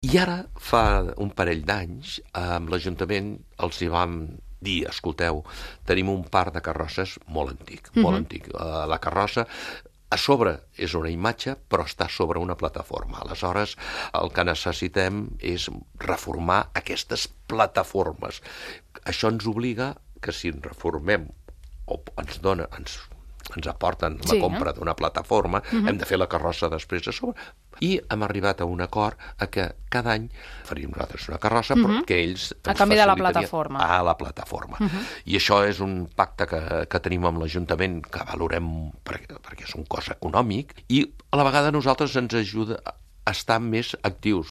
I ara, fa un parell d'anys, amb l'Ajuntament els hi vam dir, escolteu, tenim un parc de carrosses molt antic, molt antic. La carrossa a sobre és una imatge, però està sobre una plataforma. Aleshores, el que necessitem és reformar aquestes plataformes. Això ens obliga que si ens reformem o ens aporten la compra d'una plataforma, hem de fer la carrossa després a sobre. I hem arribat a un acord que cada any faríem nosaltres una carrossa, però que ells ens a canvi de la facilitarien plataforma. a la plataforma. I això és un pacte que tenim amb l'Ajuntament que valorem perquè és un cost econòmic i a la vegada a nosaltres ens ajuda a estar més actius.